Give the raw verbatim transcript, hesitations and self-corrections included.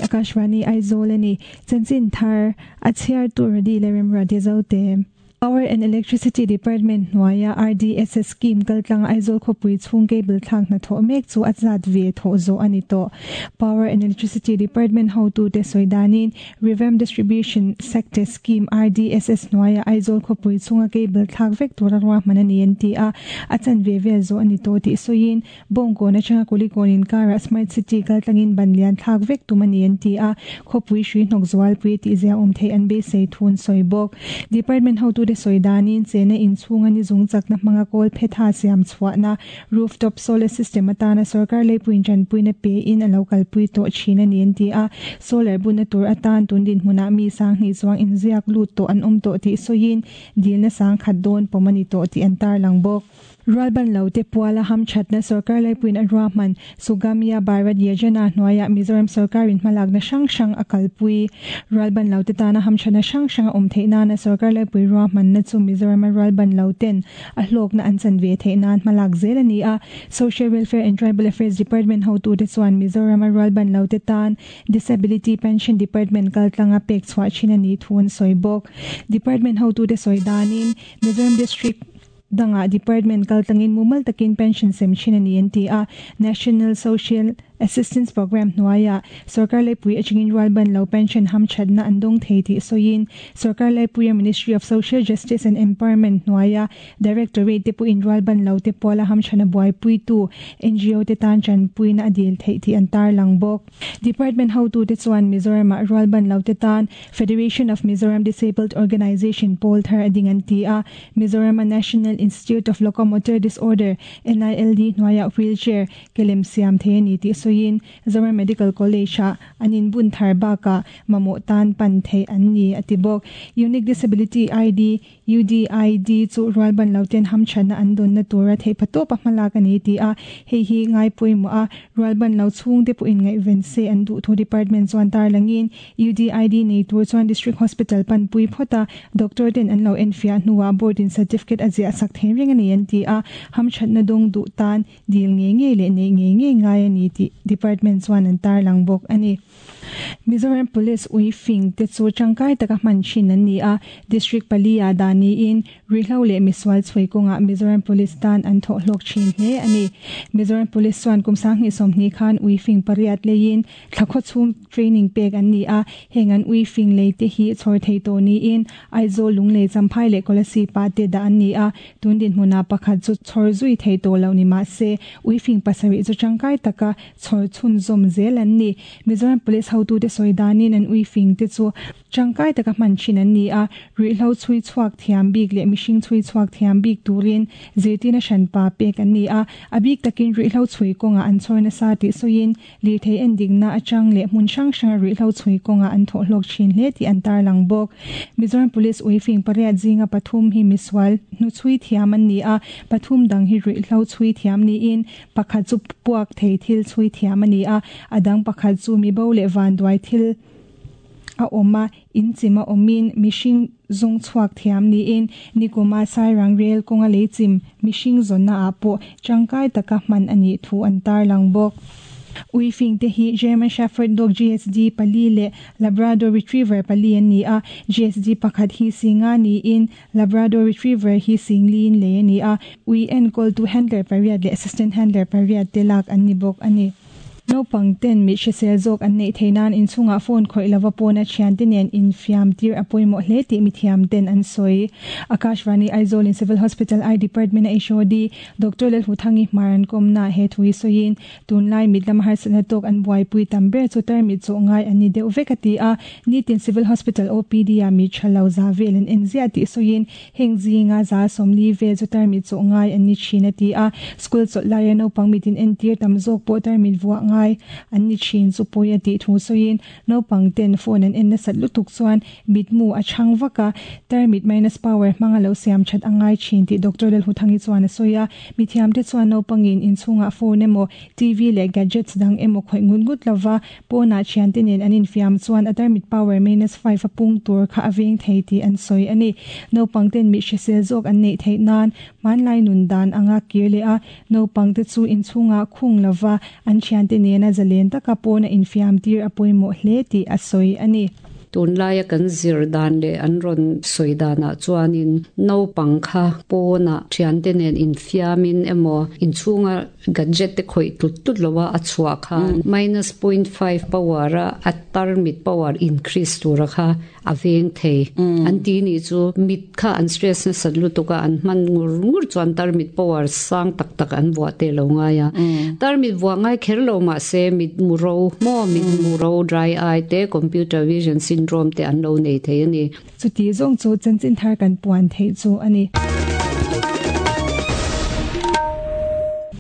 Akashvani Aizawl ani chanchin thar a chhiar tur radi le rem radi zote Power and Electricity Department hnuaia R D S S scheme kaltlang Aizawl khawpui chhung cable thlak hna thawh mek chu a zat ve thawh zawh ani tawh. Power and Electricity Department hotu te sawidanin Revamp Distribution Sector Scheme R D S S hnuaia Aizawl khawpui chhunga cable thlak vek tura ruahman ani an ti a, a chanve vel zawh ani tawh tih sawiin Bawngkawn atanga Kulikawn inkara Smart City kaltlangin ban lian thlak vek tum ani an ti a, khawpui hrui hnawk zualpui tih zia awm theih an beisei thun sawi bawk. Department hotu te sawidanin chena inchhunga ni zung chakna hmanga kawl phetha siam chhuahna rooftop solar system atana sarkar leipuin tanpuina pe in alo kalpui tawh thin ani an ti a, solar buna tur atan tundin hmuna mi sang hnih chuang inziak lut tawh an awm tawh tih sawiin dilna sang khat dawn pawm ani tawh tih an tarlang bawk. Rualban lo te puala ham thatna sarkar leipuin a ruahman Sugamya Bharat Yojana hnuaia Mizoram sarkarin hmalakna hrang hrang a kalpui. Rualban lo te tana ham thana hrang hrang a awm theih nana sarkar leipui ruahman na chu Mizoram a rualban lo ten a hlawkna an chan ve theih nan hmalak zel ani a. Social Welfare and Tribal Affairs Department hotu te chuan Mizoram a rualban lo te tan Disability Pension Department kaltlanga pek chhuah thin ani thun sawi bawk. Department hotu te sawi danin Mizoram District danga department kaltlangin mumal takin pension sem thin ani an ti a. National Social Assistance Program hnuaia sarkar leipui achingin rualban lo pension ham thatna an dawng thei tih sawiin sarkar leipui Ministry of Social Justice and Empowerment hnuaia Directorate te puin rualban lo te puala ham thana buaipui tu N G O te tan chan puina adil thei tih an tarlang bawk. Department hotu te chuan Mizoram ah rualban lo te tan Federation of Mizoram Disabled Organization pawl thar ading an ti a. Mizoram National Institute of Locomotor Disorder N I L D hnuaia wheelchair kelem siam thei ani tih sawiin Zoram Medical College a anin bun thar baka mamawh tan pan thei an ni ati bawk. Unique Disability I D U D I D chu rualban lo ten ham thana an dawn na tura thei patawp a hmalak ani ti a, hei hi ngai pawimawh a rualban lo chhung te pawhin ngaihven se an duh thu department chuan tarlangin U D I D nei tur chuan District Hospital pan pui phawta doctor ten an lo enfiah hnuah board in certificate a ziah sak thei reng ani an ti a, ham thatna dawng duh tan dil nge nge leh nei nge nge ngai ani tih department chuan an tarlang bawk ani. Mizoram Police ui fing te chu tangkai taka hman thin an ni a, district pali a dani in rihlo leh misual chhui kawnga Mizoram Police tan an thawh hlawk thin hle ani. Mizoram Police chuan kum sanghnih sawmhnih khan ui fing pariat leiin thlakhaw chhung training pek an ni a, heng an ui fing lei te hi chhawr thei tawh niin Aizawl, Lunglei, Champhai leh Kolasib pa te dah an ni a, tundin hmuna pakhat chu chhawr zui thei tawh lo ni mah se ui fing pasarih chu tangkai taka chhawr chhun zawm zel an ni. Mizoram Police hotu te sawi danin an ui fing te chu tangkai taka hman thin an ni a, rihlo chhui chhuak thiam bik leh mihring chhui chhuak thiam bik turin zirtirna hranpa pek an ni a, a bik takin rihlo chhui kawnga an chhawr nasa tih sawiin lirthei endikna atang leh hmun hrang hranga rihlo chhui kawnga an thawh hlawk thin hle tih an tarlang bawk. Mizoram Police ui fing pariat zinga pathum hi misual hnu chhui thiam an ni a, pathum dang hi rihlo chhui thiam niin pakhat chu puak thei thil chhui thiam ani a, adang pakhat chu mi bo leh vanduai thil a awm a in chima awmin mihring zawng chhuak thiam niin nikuma Sairang rel kawnga lei chim mihring zawnna ah pawh tangkai taka hman ani thu an tarlang bawk. Ui fing te hi German Shepherd Dog G S D pali leh Labrador Retriever pali an ni a, G S D pakhat hi singa niin Labrador Retriever hi singlin le ani a, ui enkawl tu handler pariat leh assistant handler pariat te lak an ni bawk ani. Naupang ten mi hrisel zawk an neih theinan inchungah phone khawih lova pawna thian te nen infiam tir a pawimawh hle tih mi thiam ten an sawi. Akashvani Aizawl in Civil Hospital Eye Department a H O D Doctor Lalhuthangi Hmaran Komna he thui sawiin tunlai mit lam harsatna tawk an buaipui tam ber chu tarmit chaw ngai an ni deuh vek a ti a, nitin Civil Hospital O P D a mi thalo za vel an en zia tih sawiin heng zinga za sawmli vel chu tarmit chaw ngai an ni thin a ti a, school chawlh laia naupang mitin entir tam zawk pawh tarmit vuah ngai an ni thin chu pawi a tih thu sawiin naupang ten phone an en nasat lutuk chuan mitmu a chhang vaka tarmit minus power hmanga lo siam that angai thin tih Doctor Lalhuthangi chuan a sawi a. Mi thiam te chuan naupangin inchhungah phone emaw T V leh gadgets dang emaw khawih ngut ngut lova pawna thian te nen an infiam chuan a tarmit power minus five a pung tur kha a veng thei tih an sawi ani. Naupang ten mi hrisel zawk an neih theih nan hmanlai nun dan anga kir leh a naupang te chu inchhungah khung lova an thian te nen nena zalen taka pawna infiam tir a pawimawh hle tih a sawi a ni. Tunlaia kan zir dan leh an rawn sawi danah chuanin naupang kha pawnah thiante nen infiamin emaw inchhunga gadget te khawih tlut tlut loa a chhuah khan minus point five power a a tarmit power increase tura kha a veng thei an ti ni chu mit kha an stress na sat lutuka an hman ngur ngur chuan tarmit power sang tak tak an vuah te lo ngai a tarmit vuah ngai kher lo ma se mit muro mo mit muro dry eye te computer vision syndrome te an lo nei thei ani. Chuti zawng chu chanchin thar kan puan thei chu ani.